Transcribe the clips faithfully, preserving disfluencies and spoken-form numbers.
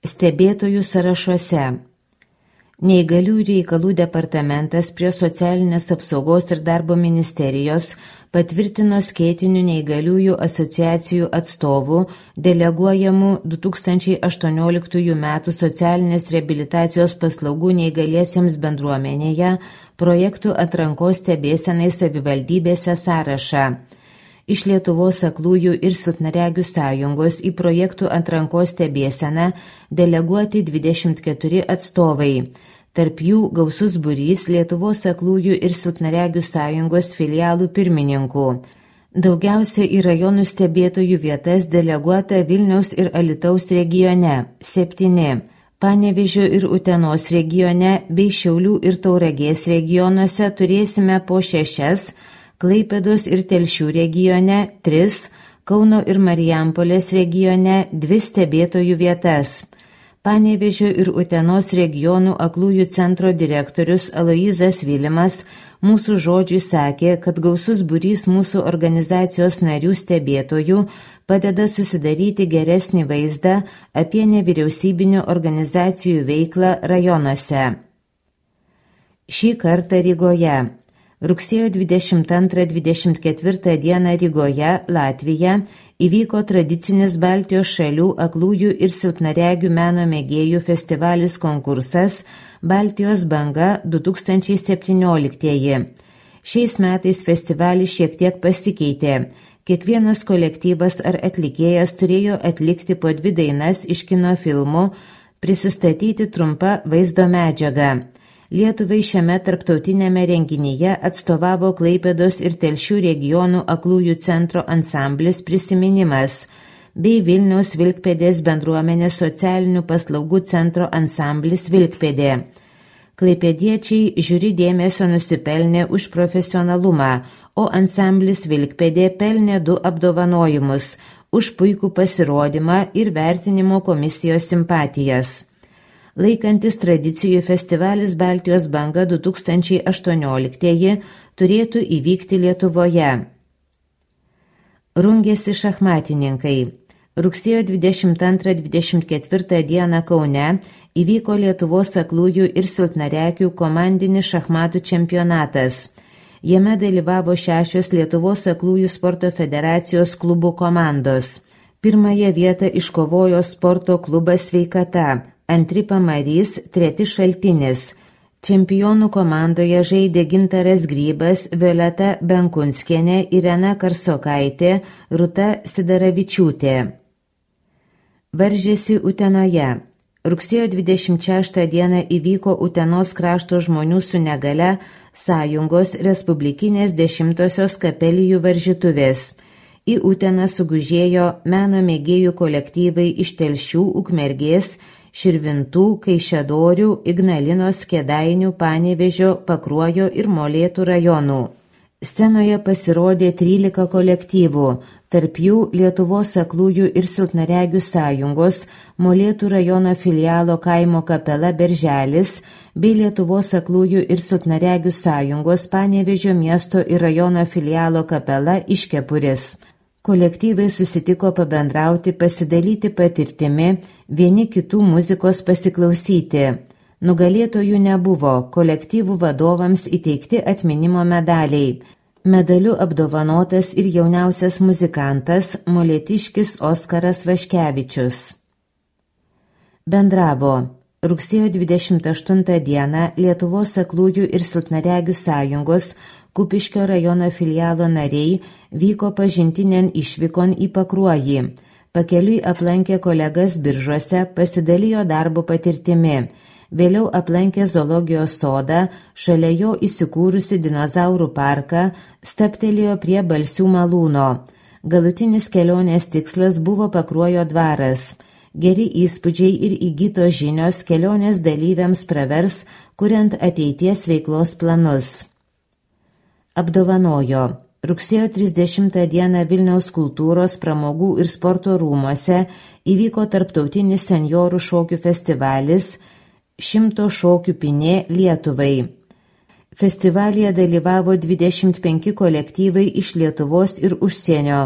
Stebėtojų sąrašuose. Neįgaliųjų reikalų departamentas prie Socialinės apsaugos ir darbo ministerijos patvirtino skėtinių neįgaliųjų asociacijų atstovų deleguojamų du tūkstančiai aštuonioliktųjų metų socialinės reabilitacijos paslaugų neįgaliesiems bendruomenėje projektų atrankos stebėsenai savivaldybėse sąrašą. Iš Lietuvos aklųjų ir silpnaregių sąjungos į projektų atrankos stebėseną deleguoti dvidešimt keturi atstovai. Tarp jų gausus būrys Lietuvos aklųjų ir silpnaregių sąjungos filialų pirmininkų. Daugiausia į rajonų stebėtojų vietas deleguota Vilniaus ir Alytaus regione – septyni, Panevėžio ir Utenos regione bei Šiaulių ir Tauragės regionuose turėsime po šešias, Klaipėdos ir Telšių regione tris, Kauno ir Marijampolės regione dvi stebėtojų vietas. Panevėžio ir Utenos regionų aklųjų centro direktorius Aloyzas Vilimas mūsų žodžiui sakė, kad gausus būrys mūsų organizacijos narių stebėtojų padeda susidaryti geresnį vaizdą apie nevyriausybinių organizacijų veiklą rajonuose. Šį kartą Rygoje. Rugsėjo dvidešimt antrą dvidešimt ketvirtą dieną Rygoje, Latvija, įvyko tradicinis Baltijos šalių aklųjų ir silpnaregių meno mėgėjų festivalis konkursas Baltijos banga du tūkstančiai septynioliktieji. Šiais metais festivalis šiek tiek pasikeitė. Kiekvienas kolektyvas ar atlikėjas turėjo atlikti po dvi dainas iš kino filmų, prisistatyti trumpą vaizdo medžiagą. Lietuvai šiame tarptautinėme renginyje atstovavo Klaipėdos ir Telšių regionų aklųjų centro ansamblis Prisiminimas bei Vilniaus Vilkpėdės bendruomenės socialinių paslaugų centro ansamblis Vilkpėdė. Klaipėdiečiai žiūri dėmesio nusipelnė už profesionalumą, o ansamblis Vilkpėdė pelnė du apdovanojimus už puikų pasirodymą ir vertinimo komisijos simpatijas. Laikantis tradicijų festivalis Baltijos banga du tūkstančiai aštuonioliktieji turėtų įvykti Lietuvoje. Rungėsi šachmatininkai. Rugsėjo dvidešimt antrą dvidešimt ketvirtą dieną Kaune įvyko Lietuvos aklųjų ir silpnaregių komandinis šachmatų čempionatas. Jame dalyvavo šešios Lietuvos aklųjų sporto federacijos klubų komandos. Pirmąją vietą iškovojo sporto klubas Sveikata, antri Pamarys, treti Šaltinis. Čempionų komandoje žaidė Gintaras Grybas, Violeta Benkunskienė, Irena Karsokaitė, Rūta Sidaravičiūtė. Varžėsi Utenoje. Rugsėjo dvidešimt šeštą dieną įvyko Utenos krašto žmonių su negale sąjungos respublikinės dešimtosios kapelijų varžytuvės. Į Uteną sugužėjo meno mėgėjų kolektyvai iš Telšių, Ukmergės, Širvintų, Kaišiadorių, Ignalinos, Kėdainių, Panevėžio, Pakruojo ir Molėtų rajonų. Scenoje pasirodė trylika kolektyvų, tarp jų Lietuvos aklųjų ir silpnaregių sąjungos, Molėtų rajono filialo kaimo kapela Berželis bei Lietuvos aklųjų ir silpnaregių sąjungos Panevėžio miesto ir rajono filialo kapela Iškepuris. Kolektyvai susitiko pabendrauti, pasidalyti patirtimi, vieni kitų muzikos pasiklausyti. Nugalėtojų nebuvo, kolektyvų vadovams įteikti atminimo medaliai. Medaliu apdovanotas ir jauniausias muzikantas molėtiškis Oskaras Vaškevičius. Bendravo. Rugsėjo dvidešimt aštuntą dieną Lietuvos aklųjų ir silpnaregių sąjungos Kupiškio rajono filialo nariai vyko pažintinėn išvykon į Pakruojį. Pakeliui aplankė kolegas Biržuose, pasidalijo darbo patirtimi. Vėliau aplankė zoologijos sodą, šalia jo įsikūrusi dinozaurų parką, stabtelėjo prie Balsių malūno. Galutinis kelionės tikslas buvo Pakruojo dvaras. Geri įspūdžiai ir įgytos žinios kelionės dalyviams pravers, kuriant ateities veiklos planus. Apdovanojo. Rugsėjo trisdešimtą dieną Vilniaus kultūros, pramogų ir sporto rūmuose įvyko tarptautinis senjorų šokių festivalis Šimto šokių pinė Lietuvai. Festivalyje dalyvavo dvidešimt penki kolektyvai iš Lietuvos ir užsienio.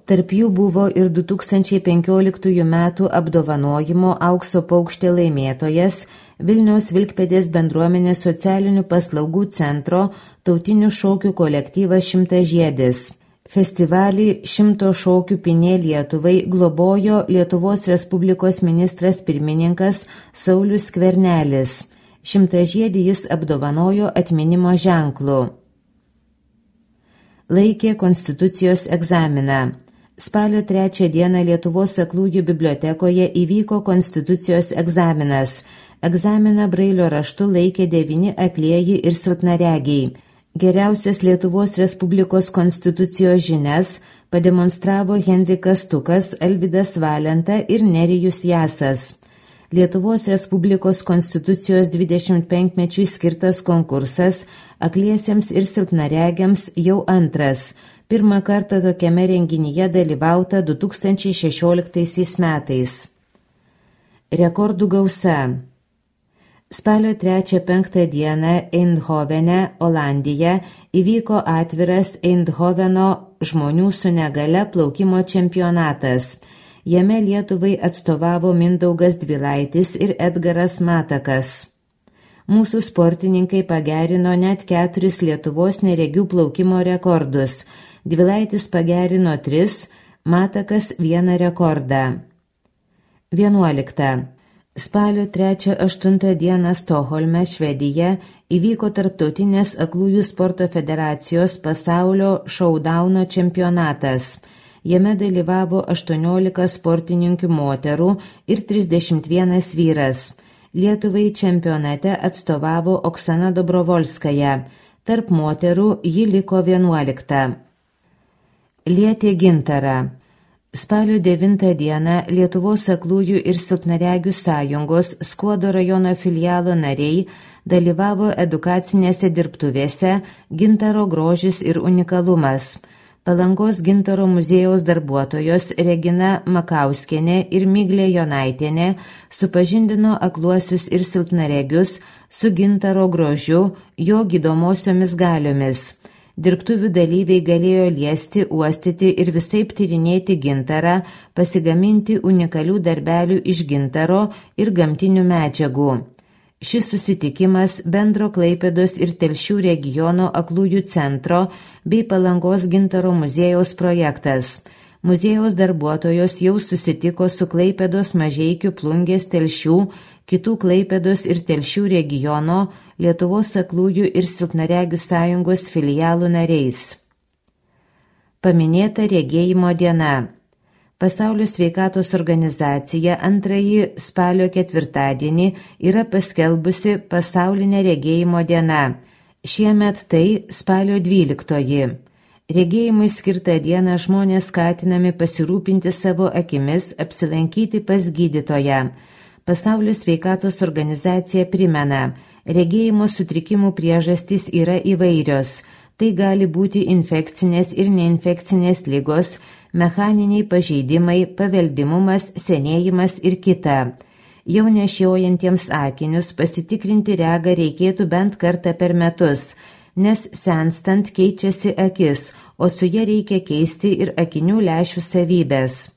Tarp jų buvo ir du tūkstančiai penkioliktųjų metų apdovanojimo Aukso paukštė laimėtojas Vilniaus Vilkpėdės bendruomenės socialinių paslaugų centro tautinių šokių kolektyvas Šimtažiedis. Festivalį Šimto šokių pinė Lietuvai globojo Lietuvos Respublikos ministras pirmininkas Saulius Skvernelis. Šimtažiedį jis apdovanojo atminimo ženklu. Laikė konstitucijos egzaminą. Spalio trečią dieną Lietuvos aklųjų bibliotekoje įvyko konstitucijos egzaminas. Egzaminą brailio raštu laikė devyni aklieji ir silpnaregiai. Geriausias Lietuvos Respublikos konstitucijos žinias pademonstravo Henrikas Stukas, Alvydas Valenta ir Nerijus Jasas. Lietuvos Respublikos konstitucijos dvidešimt penkmečiui skirtas konkursas akliesiems ir silpnaregiams jau antras. Pirmą kartą tokiame renginyje dalyvauta du tūkstančiai šešioliktaisiais metais. Rekordų gausa. Spalio trečią penktą dieną Eindhovene, Olandija, įvyko atviras Eindhoveno žmonių su negale plaukimo čempionatas. Jame Lietuvai atstovavo Mindaugas Dvilaitis ir Edgaras Matakas. Mūsų sportininkai pagerino net keturis Lietuvos neregių plaukimo rekordus. Dvilaitis pagerino tris, Matakas vieną rekordą. vienuolikta. Spalio trečią aštuntą dieną Stokholme, Švedija, įvyko Tarptautinės aklųjų sporto federacijos pasaulio šaudauno čempionatas. Jame dalyvavo aštuoniolika sportininkių moterų ir trisdešimt vienas vyras. Lietuvai čempionate atstovavo Oksana Dobrovolskaja. Tarp moterų ji liko vienuolikta. Lietė gintarą. Spalio devintą dieną Lietuvos aklųjų ir silpnaregių sąjungos Skuodo rajono filialo nariai dalyvavo edukacinėse dirbtuvėse Gintaro grožis ir unikalumas. Palangos gintaro muziejaus darbuotojos Regina Makauskienė ir Miglė Jonaitienė supažindino akluosius ir silpnaregius su gintaro grožiu, jo gydomosiomis galiomis. Dirbtuvių dalyviai galėjo liesti, uostyti ir visaip tyrinėti gintarą, pasigaminti unikalių darbelių iš gintaro ir gamtinių medžiagų. Šis susitikimas bendro Klaipėdos ir Telšių regiono aklųjų centro bei Palangos gintaro muziejaus projektas. Muziejaus darbuotojos jau susitiko su Klaipėdos, Mažeikių, Plungės, Telšių, kitų Klaipėdos ir Telšių regiono Lietuvos aklųjų ir silpnaregių sąjungos filialų nariais. Paminėta regėjimo diena. Pasaulio sveikatos organizacija antrąjį spalio ketvirtadienį yra paskelbusi pasaulinę regėjimo dieną. Šiemet tai spalio dvyliktoji. Regėjimui skirtą dieną žmonės skatinami pasirūpinti savo akimis, apsilankyti pas gydytoją. Pasaulio sveikatos organizacija primena, regėjimo sutrikimų priežastys yra įvairios. Tai gali būti infekcinės ir neinfekcinės ligos, mechaniniai pažeidimai, paveldimumas, senėjimas ir kita. Jau nešiojantiems akinius pasitikrinti regą reikėtų bent kartą per metus, nes senstant keičiasi akis, o su ja reikia keisti ir akinių lęšių savybės.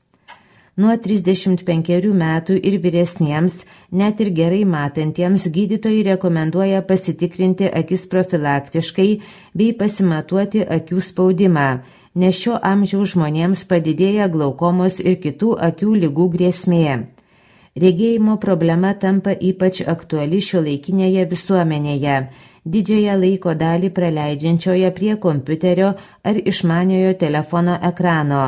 Nuo trisdešimt penkerių metų ir vyresniems, net ir gerai matantiems, gydytojai rekomenduoja pasitikrinti akis profilaktiškai bei pasimatuoti akių spaudimą, nes šio amžiaus žmonėms padidėja glaukomos ir kitų akių ligų grėsmė. Regėjimo problema tampa ypač aktuali šiuolaikinėje visuomenėje, didžiąją laiko dalį praleidžiančioje prie kompiuterio ar išmaniojo telefono ekrano.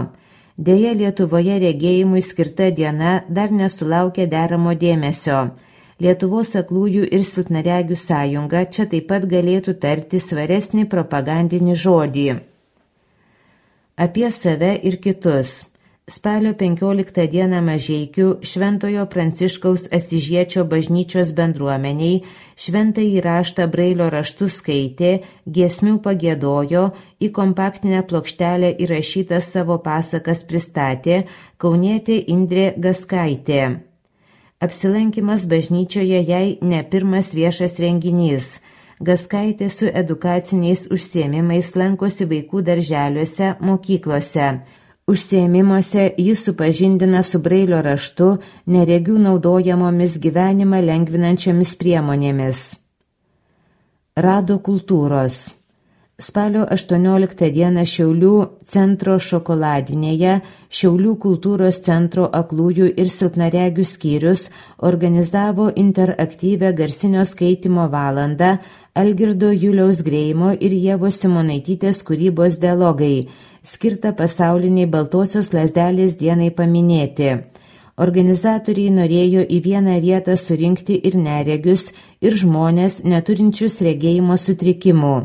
Deja, Lietuvoje regėjimui skirta diena dar nesulaukė deramo dėmesio. Lietuvos aklųjų ir silpnaregių sąjunga čia taip pat galėtų tarti svaresnį propagandinį žodį. Apie save ir kitus. Spalio penkioliktą dieną Mažeikių Šventojo Pranciškaus Asyžiečio bažnyčios bendruomeniai šventąjį raštą brailio raštu skaitė, giesmių pagiedojo, į kompaktinę plokštelę įrašytą savo pasakas pristatė kaunietė Indrė Gaskaitė. Apsilankimas bažnyčioje jai ne pirmas viešas renginys. Gaskaitė su edukaciniais užsiėmimais lankosi vaikų darželiuose, mokyklose. Užsiėmimuose jis supažindina su Brailio raštu, neregių naudojamomis gyvenimą lengvinančiomis priemonėmis. Rado kultūros. Spalio aštuonioliktą dieną Šiaulių centro šokoladinėje Šiaulių kultūros centro aklųjų ir silpnaregių skyrius organizavo interaktyvią garsinio skaitymo valandą Algirdo Juliaus Greimo ir Ievos Simonaitytės kūrybos dialogai, skirtą pasauliniai Baltosios lazdelės dienai paminėti. Organizatoriai norėjo į vieną vietą surinkti ir neregius, ir žmonės neturinčius regėjimo sutrikimų.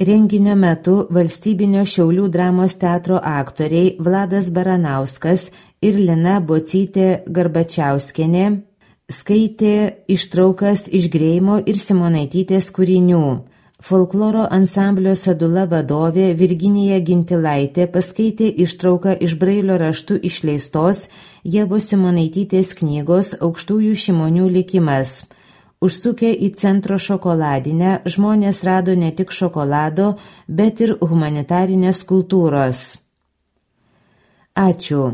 Renginio metu valstybinio Šiaulių dramos teatro aktoriai Vladas Baranauskas ir Lina Bocytė Garbačiauskienė skaitė ištraukas iš Greimo ir Simonaitytės kūrinių. Folkloro ansamblio Sadula vadovė Virginija Gintilaitė paskaitė ištrauką iš Brailio raštu išleistos Ievos Simonaitytės knygos Aukštųjų Šimonių likimas. Užsukę į centro šokoladinę, žmonės rado ne tik šokolado, bet ir humanitarinės kultūros. Ačiū.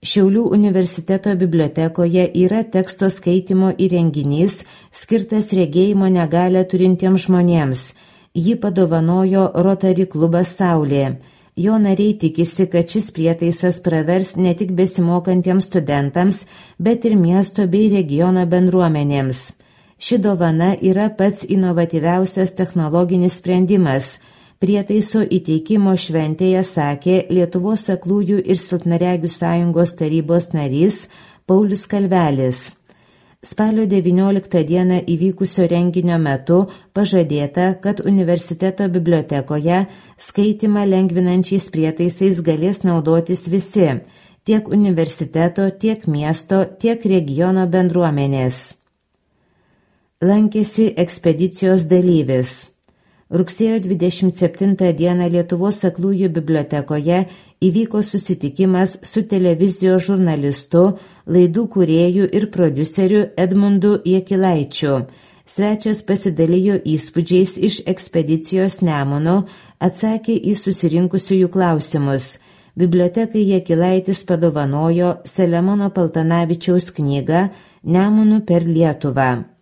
Šiaulių universiteto bibliotekoje yra teksto skaitymo įrenginys skirtas regėjimo negalią turintiems žmonėms. Jį padovanojo Rotary klubas Saulė. Jo nariai tikisi, kad šis prietaisas pravers ne tik besimokantiems studentams, bet ir miesto bei regiono bendruomenėms. Ši dovana yra pats inovatyviausias technologinis sprendimas. Prietaiso įteikimo šventėje sakė Lietuvos aklųjų ir silpnaregių sąjungos tarybos narys Paulius Kalvelis. Spalio devynioliktą dieną įvykusio renginio metu pažadėta, kad universiteto bibliotekoje skaitymą lengvinančiais prietaisais galės naudotis visi, tiek universiteto, tiek miesto, tiek regiono bendruomenės. Lankėsi ekspedicijos dalyvis. Rugsėjo dvidešimt septintą dieną Lietuvos aklųjų bibliotekoje įvyko susitikimas su televizijos žurnalistu, laidų kūrėju ir prodiuseriu Edmundu Jakilaičiu. Svečias pasidalijo įspūdžiais iš ekspedicijos Nemunu, atsakė į susirinkusiųjų klausimus. Bibliotekai Jakilaitis padovanojo Selemono Paltanavičiaus knygą Nemunu per Lietuvą.